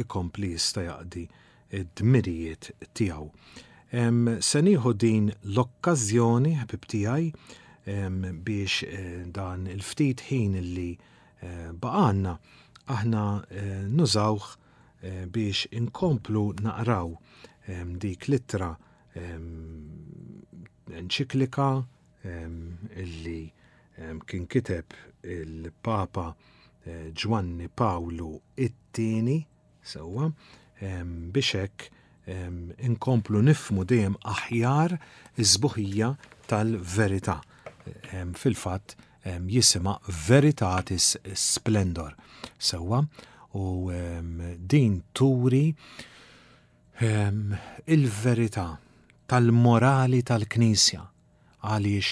ikompli jista' jaqdi d-dmirijiet tiegħu. Se nieħu din l-okkażjoni, ħbib tiegħi, biex dan il-ftit ħin li baqgħalna aħna nużawh biex inkomplu naqraw dik l-ittra enċiklika illi kien kiteb il-Papa Ġwanni Pawlu it-tieni, sewwa, biex hekk inkomplu nifhmu dejjem aħjar iż-sbuħija tal-verità. Fil-fatt jisimha Veritatis Splendor, sewwa, u din turi il-verità tal-morali tal-Knisja, għaliex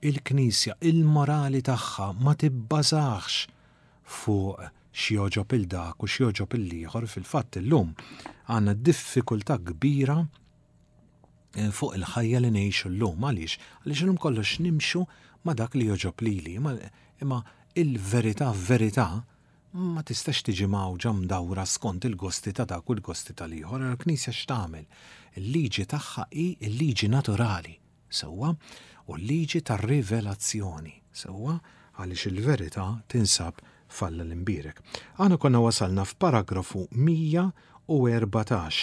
il-Knisja il-morali tagħha ma tibbażax fuq x'jogħġob il dak u x'jogħġob il-ieħor. Fil-fatt illum għandna diffikultà kbira fuq il-ħajja li ngħixu llum. Għaliex? Għaliex illum kollox nimxu ma' dak li jogħġob lili, imma il-verità verità ma tistax tiġi mgħawġa mdawra skont il-gosti ta' dak u l-gosti tal-ieħor. Il-Knisja x'tagħmel? Il-liġi tagħha hi l-liġi naturali, sewwa, u l-liġi tar-rivelazzjoni, sewwa, għaliex il-verità tinsab f'Alla l-imbierek. Aħna konna wasalna f'paragrafu mija u erbatax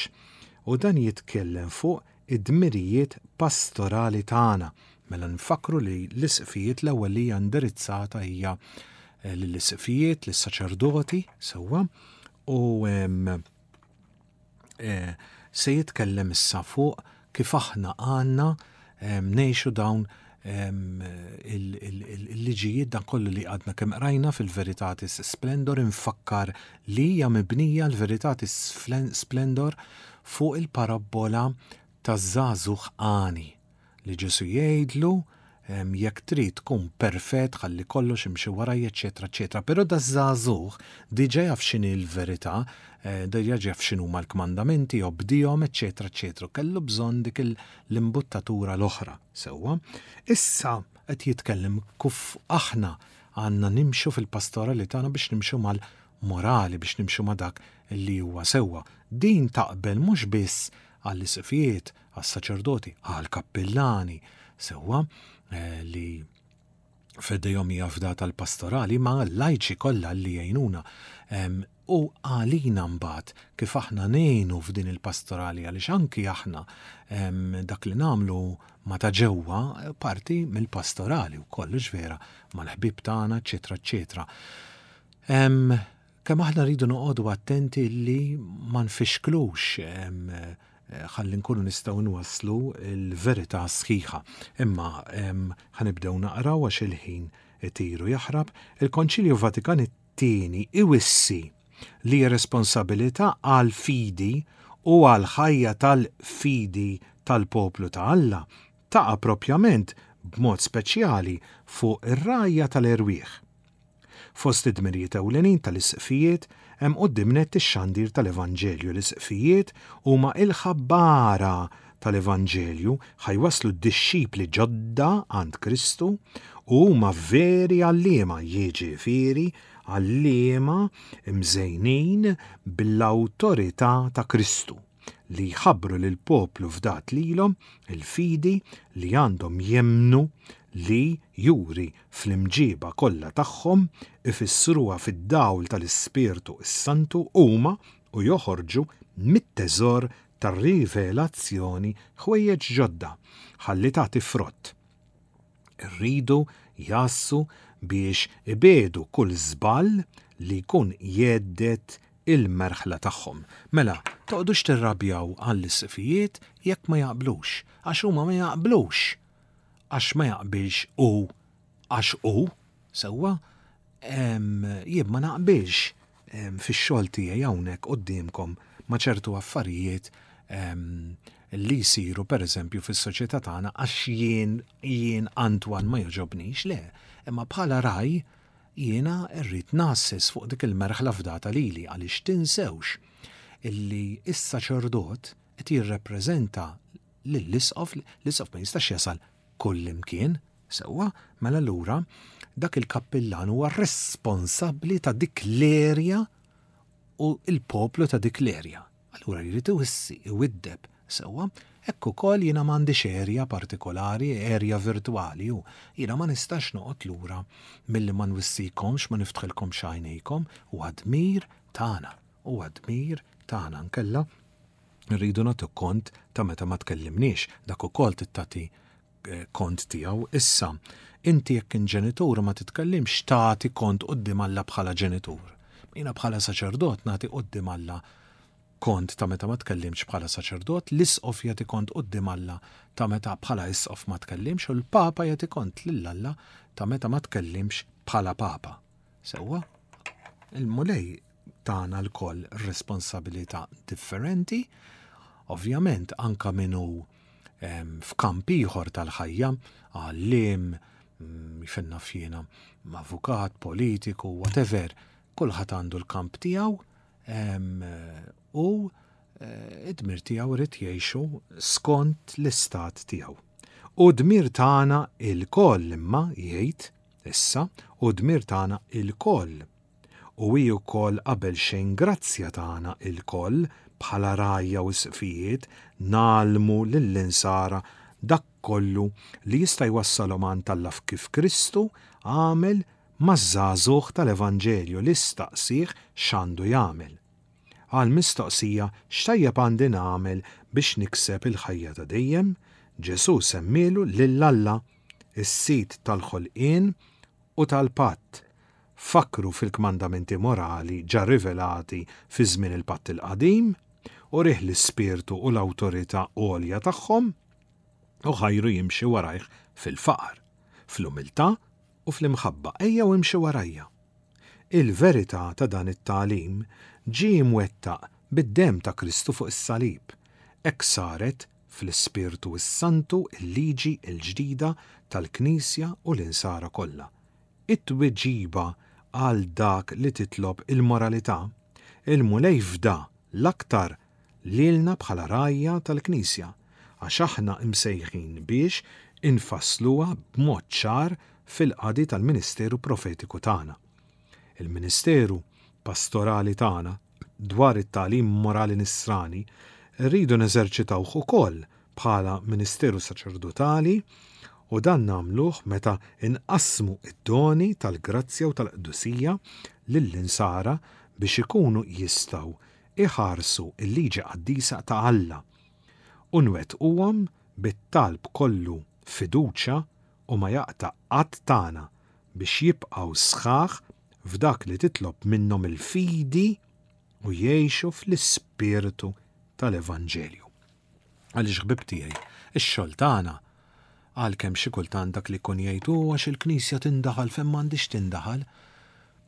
u dan jitkellem fuq id-dmirijiet pastorali tagħna. Mela nfakru li l-isqfijiet l-ewwel li hija indirizzata hija lill-isqfijiet, lis-saċerdoti, sewwa, u se jitkellem issa fuq kif aħna għandna ngħixu dawn il-liġijiet, dan kollu li għadna kemm qrajna fil-Veritatis Splendor. Infakkar li hija mibnija l-Veritatis Splendor fuq il-parabbola taż-żagħżugħ għani li Ġesu jgħidlu jekk trid tkun perfett ħalli kollox imxi waraj, eċetera, eċetera. Però daż-żagħżugħ diġà jaf x'inhi l-verità, diġà jaf x'inhuma l-kmandamenti, obdihom, eċetera, eċetera. Kellu bżonn dik l-imbuttatura l-oħra, sewwa. Issa qed jitkellem kif aħna għandna nimxu fil-pastorali tagħna biex nimxu mal-morali, biex nimxu ma' dak li huwa sewwa. Din taqbel mhux biss għall-isqfijiet, għas-saċerdoti, għall-kappillani, sewwa, li f'idejhom hija fdata l-pastorali, ma l-lajċi kollha li jgħinuna. U għalina mbagħad kif aħna ngħinu f'din il-pastorali, għaliex anki aħna dak li nagħmlu ma ta' ġewwa parti mill-pastorali wkoll, vera, mal-ħbieb tagħna, eċetera, eċetera. Kemm aħna rridu noqogħdu attenti li ma nfixklux ħalli nkunu nistgħu nwasslu l-verità sħiħa. Imma ħanibdew naqraw għax il-ħin itiru jaħrab. Il-Konċilju Vatikan it-tieni iwissi li responsabilità għal fidi u għal ħajja tal-fidi tal-poplu ta' Alla taqa' propjament b'mod speċjali fuq ir-rgħajja tal-erwieħ. Fost id-dmirijiet ewlenin tal-isqfijiet hemm quddiem nett ix-xandir tal-Evanġelju. L-isqfijiet huma il-ħabbara tal-Evanġelju, ħa jwasslu d-dixxipli ġodda għand Kristu u huma veri għalliema, jiġifieri għalliema mżejnin bil-awtorità ta' Kristu li jħabbru lill-poplu fdat lilhom il-fidi li għandhom jemmnu li juri fl-imġiba kollha tagħhom ifissruha fid-dawl tal-Ispirtu s-Santu huma u joħorġu mit-teżor tar-rivelazzjoni ħwejjeġ ġodda ħalli tagħti frott. Irridu jgħassu biex ibiegħdu kull żball li jkun jhedded il-merħla tagħhom. Mela, toqgħodux tirrabjaw għall-isqfijiet jekk ma jaqblux, għax huma ma jaqblux. Għax ma jaqbilx u għax u, sewwa, jien ma naqbilx fix-xogħol tiegħi hawnhekk quddiemkom ma' ċertu affarijiet li jsiru pereżempju fis-soċjetà tagħna għax jien jien Antoine ma jogħġobnix, le, imma bħala ragħaj jiena rrid ngħasses fuq dik il-merħla fdata lili għaliex tinsewx illi is-saċerdot qed jirrepreżenta lill-isqof, l-isqof ma jistax jasal kull imkien, sewwa, mela allura dak il-kappillan huwa responsabbli ta' dik l-erja u il-poplu ta' dik l-erja. Allura jrid iwissi, iwiddeb, sewwa, hekk ukoll jiena m'għandix erja partikolari, erja virtwali, u jiena ma nistax noqgħod lura milli ma nwissikomx, ma niftħilkomx għajnejkom, huwa dmir tagħna, huwa dmir tagħna nkella rridu nagħtu kont ta' meta ma tkellimniex, dak ukoll tagħti kont tiegħu. Issa, inti jekk ġenitur ma titkellimx tagħti kont quddiem Alla bħala ġenitur. Jiena bħala saċerdot nagħti quddiem Alla kont ta' meta ma tkellimx bħala saċerdot, l-isqof jagħti kont quddiem Alla ta' meta bħala isqof ma tkellimx, u l-Papa jagħti kont lil Alla ta' meta ma tkellimx bħala Papa. Sewwa, il-Mulej tagħna lkoll responsabilità differenti, ovvjament anka min hu f'kamp ieħor tal-ħajja, għalliem, fejn naf jiena, avukat, politiku, whatever, kulħadd għandu l-kamp tiegħu u id-dmir tiegħu irid jgħixu skont l-istat tiegħu. U dmir tagħna ilkoll imma jgħid issa, u dmir tagħna ilkoll. U hi wkoll qabel xejn grazzja tagħna ilkoll bħala rgħajja u isqfijiet nagħlmu lill-insara dak kollu li jista' jwassalhom għand Alla kif Kristu għamel maż-żagħżugħ tal-Evanġelju li staqsih x'għandu jagħmel. Għal mistoqsija x'tajjeb għandi nagħmel biex nikseb il-ħajja ta' dejjem, Ġesù semmielu lil Alla, is-sid tal-ħolqien u tal-patt. Fakru fil-kmandamenti morali ġa rivelati fi żmien il-patt il-qadim, u rih l-ispirtu u l-awtorità għolja tagħhom, u ħajru jimxi warajh fil-faqar, fl-umiltà u fl-imħabba. Ejja u imxi warajja. Il-verità ta' dan it-tagħlim ġie mwettaq bid-demm ta' Kristu fuq is-salib. Hekk saret fl-Ispirtu s-Santu il-liġi l-ġdida tal-Knisja u l-insara kollha. It-tweġiba għal dak li titlob il-moralità, il-Mulej fda l-aktar lilna bħala rgħajja tal-Knisja, għax aħna imsejħin biex infassluha b'mod ċar fil-qadi tal-Ministeru Profetiku tagħna. Il-Ministeru Pastorali tagħna dwar it-tagħlim morali nisrani rridu neżerċitawh ukoll bħala Ministeru Saċerdotali, u dan nagħmluh meta inqassmu id-doni tal-grazzja u tal-qdusija lill-insara biex ikunu jistgħu iħarsu il-liġi qaddisa ta' Alla u nwettquhom bit-talb kollu fiduċja u ma jaqta' qatt tagħna biex jibqgħu sħaħ f'dak li titlob minnhom il-fidi u jgħixu fl-ispirtu tal-Evanġelju. Għaliex ħbib tiegħi, ix-xogħol tagħna għalkemm xi kultant dak li jkun jgħid u għax il-Knisja tindaħal fejn m'għandix tindaħal,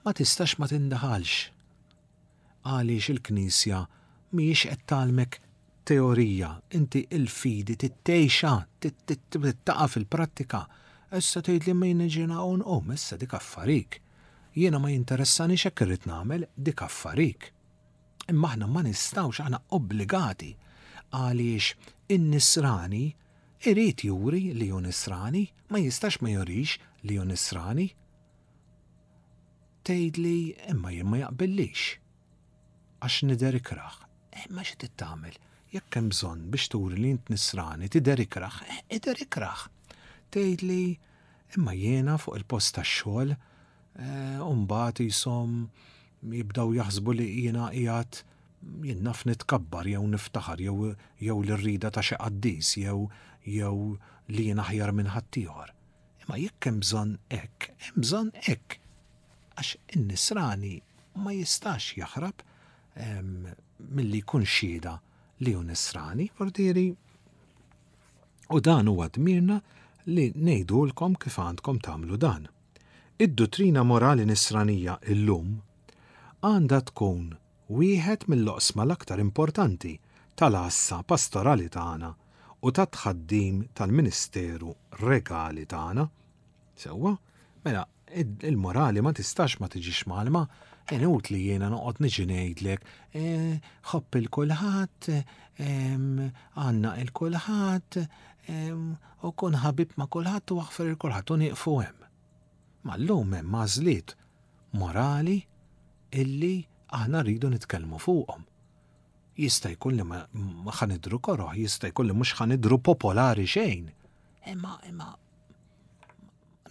ma tistax ma tindaħalx. Għaliex il-Knisja mhijiex qed tgħallmek teorija, inti il-fidi tittejxa, tittaqa' fil-prattika. Issa tgħid li min ġiena hawn qum, issa dik affarik. Jiena ma jinteressanix hekk irrid nagħmel dik affarik. Imma aħna ma nistgħux, aħna obbligati għaliex in-nisrani irid juri li hu nisrani, ma jistax ma jurix li hu nisrani. Tgħidli imma jien ma jaqbillix għax nidher ikrah. Imma xi trid tagħmel? Jekk hemm bżonn biex turi li int nisrani tidher ikrah, idher ikrah. Tgħidli imma jiena fuq il-post tax-xogħol u mbagħad jisom jibdaw jaħsbu li jiena qiegħed jien naf nitkabbar jew niftaħar jew jew l-rida ta' xi qaddis jew jew li jien aħjar minn ħaddieħor. Imma jekk hemm bżonn hekk, hemm bżonn hekk. Għax in-nisrani ma jistax jaħrab milli jkun xhieda li hu nisrani, vordieri. U dan huwa dmirna li ngħidulkom kif għandkom tagħmlu dan. Id-duttrina morali nisranija illum għandha tkun wieħed mill-oqsma l-aktar importanti tal-għassa pastorali tagħna u tat-tħaddim tal-ministeru regali tagħna. Sewwa, mela il-morali ma tistax ma tiġix mgħallma, inutli jiena noqgħod niġi ngħidlek, ħobb il kulħadd, għandna il kulħadd, u kun ħabib ma' kulħadd u aħfer il kulħadd u nieqfu hemm. Ma llum hemm għażliet morali illi aħna rridu nitkellmu fuqhom. Jista' jkun li ma ħa nidhru koroh, jista' jkun li mhux ħa nidhru popolari xejn. Imma imma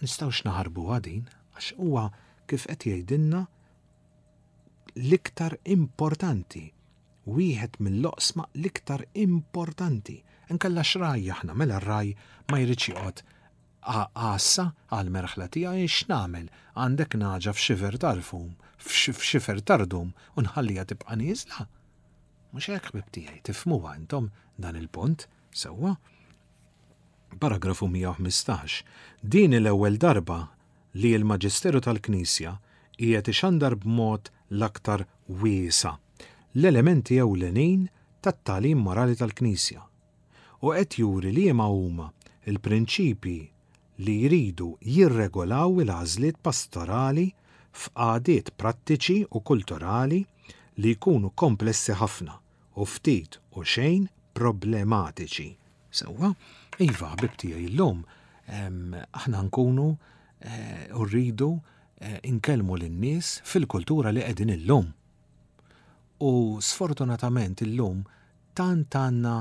nistgħux naħarbu din għax huwa kif qed jgħidilna l-iktar importanti, wieħed mill-oqsma l-iktar importanti. Inkella x'raj aħna, mela r-raj ma jridx joqgħod għassa għal merħla tiegħi x'nagħmel, għandek naġa f'xifer tal-fum, f'xifer tardum u nħallija tibqa' nieżla. Mhux hekk ħbib tiegħi, tifhmuha intom dan il-punt, sewwa. Paragrafu mija u ħmistax. Din l-ewwel darba li l-Maġisteru tal-Knisja qiegħed ixandar b'mod l-aktar wiesa' l-elementi ewlenin tat-tagħlim morali tal-Knisja u qed juri li liema huma il-prinċipji li jridu jirregolaw il-għażliet pastorali f'qagħdiet prattiċi u kulturali li jkunu komplessi ħafna u ftit u xejn problematiċi. Sewwa, iva, ħbib tiegħi, illum, em, aħna nkunu, eh, u rridu, eh, inkellmu lin-nies fil-kultura li qegħdin illum. U sfortunatament illum tant għandna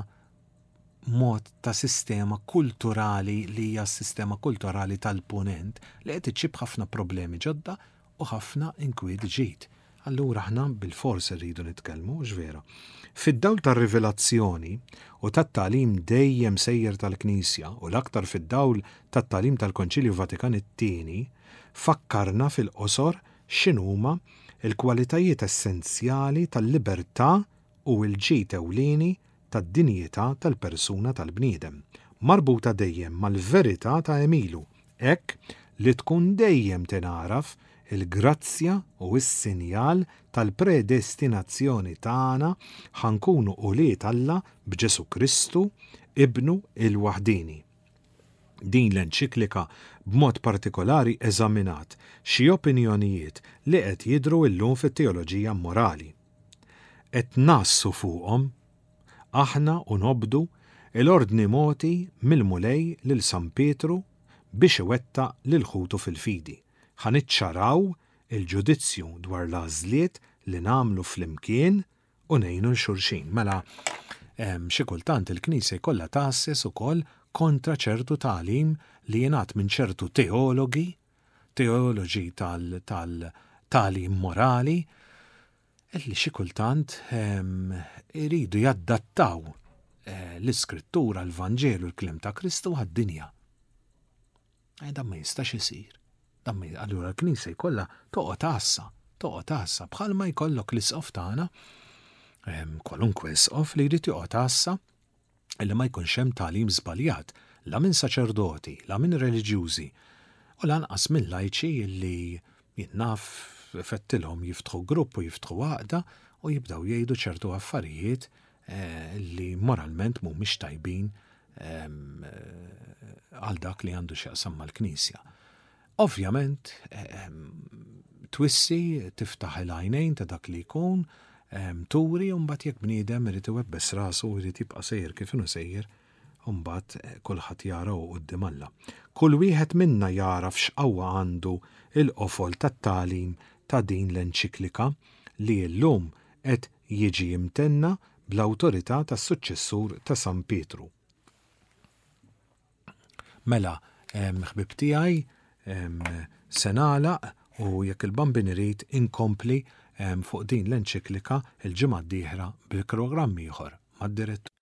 mod ta' sistema kulturali li hija s-sistema kulturali tal-punent li qed iġġib ħafna problemi ġodda u ħafna inkwiet ġid. Allura aħna bil-fors irridu nitkellmu, x'vera. Fid-dawl tar-rivelazzjoni u tat-tagħlim dejjem sejjer tal-Knisja u l-aktar fid-dawl tat-tagħlim tal-Konċilju Vatikan it-tieni, fakkarna fil-qosor x'inhuma il-kwalitajiet essenzjali tal-libertà u l-ġid ewlieni tad-dinjità tal-persuna tal-bniedem, marbuta dejjem mal-verità ta' Emilu, hekk li tkun dejjem tingħaraf il-grazzja u s-sinjal tal-predestinazzjoni tagħna ħankunu ulied Alla b'Ġesu Kristu, Ibnu il-Waħdini. Din l-enċiklika b'mod partikolari eżaminat xi opinjonijiet li qed jidhru llum fit-teoloġija morali. Qed nassu fuqhom aħna u nobdu l-ordni moti mill-Mulej lil San Pietru biex iwettaq lil ħutu fil-fidi. Ħa niċċaraw il-ġudizzju dwar l-għażliet li nagħmlu flimkien u ngħinu l xulxin. Mela, em, xi kultant il-Knisja jkollha tgħasses ukoll kontra ċertu tagħlim li jingħad minn ċertu teologi, teoloġi tal-, tal-tagħlim morali, illi xi kultant, em, iridu jaddattaw, eh, l-Iskrittura, l-Vanġelu, l-kliem ta' Kristu għad-dinja. Eh, dan ma jistax isir. Dan ma j-, allura l-Knisja jkollha toqgħod għassa, toqgħod għassa, bħalma jkollok l-isqof tagħna, em, kwalunkwe isqof li jrid joqgħod għassa illi ma jkunx hemm tagħlim żbaljat, la minn saċerdoti, la minn reliġjużi, u lanqas minn lajċi illi jien naf fettilhom jiftħu grupp u jiftħu għaqda u jibdaw jgħidu ċertu affarijiet, eh, li moralment mhumiex tajbin, em, eh, għal dak li għandu x'jaqsam mal-Knisja. Ovvjament, em, Twissi, tiftaħ il-għajnejn ta' dak li jkun, turi, u mbagħad jekk bniedem irid iwebbes rasu u jrid jibqa' sejjer kif inhu sejjer, mbagħad kulħadd jara u quddiem Alla. Kull wieħed minna jaraf x'qawwa għandu il-qofol tat-tagħlim ta' din l-enċiklika li llum qed jiġi imtenna bl-awtorità tas-suċċessur ta' San Pietru. Mela, ħbib tiegħi, se nagħlaq u jekk il-Bambin irid inkompli fuq din l-enċiklika il-ġimgħa d-dieħla bil-programm ieħor mad-direttur.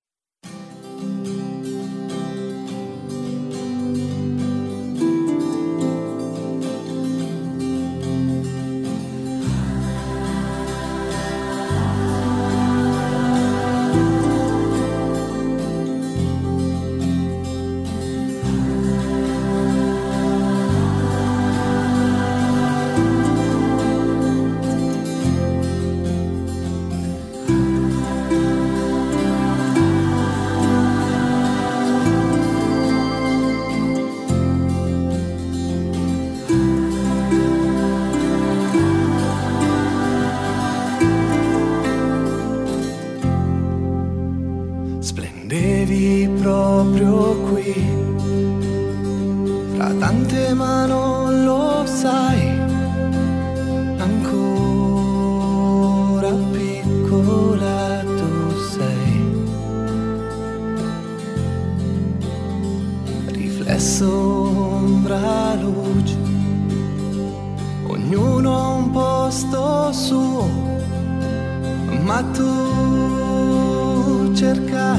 Splendevi proprio qui, fra tante ma non lo sai, ancora piccola tu sei, riflesso ombra luce, ognuno ha un posto suo, ma tu cercavi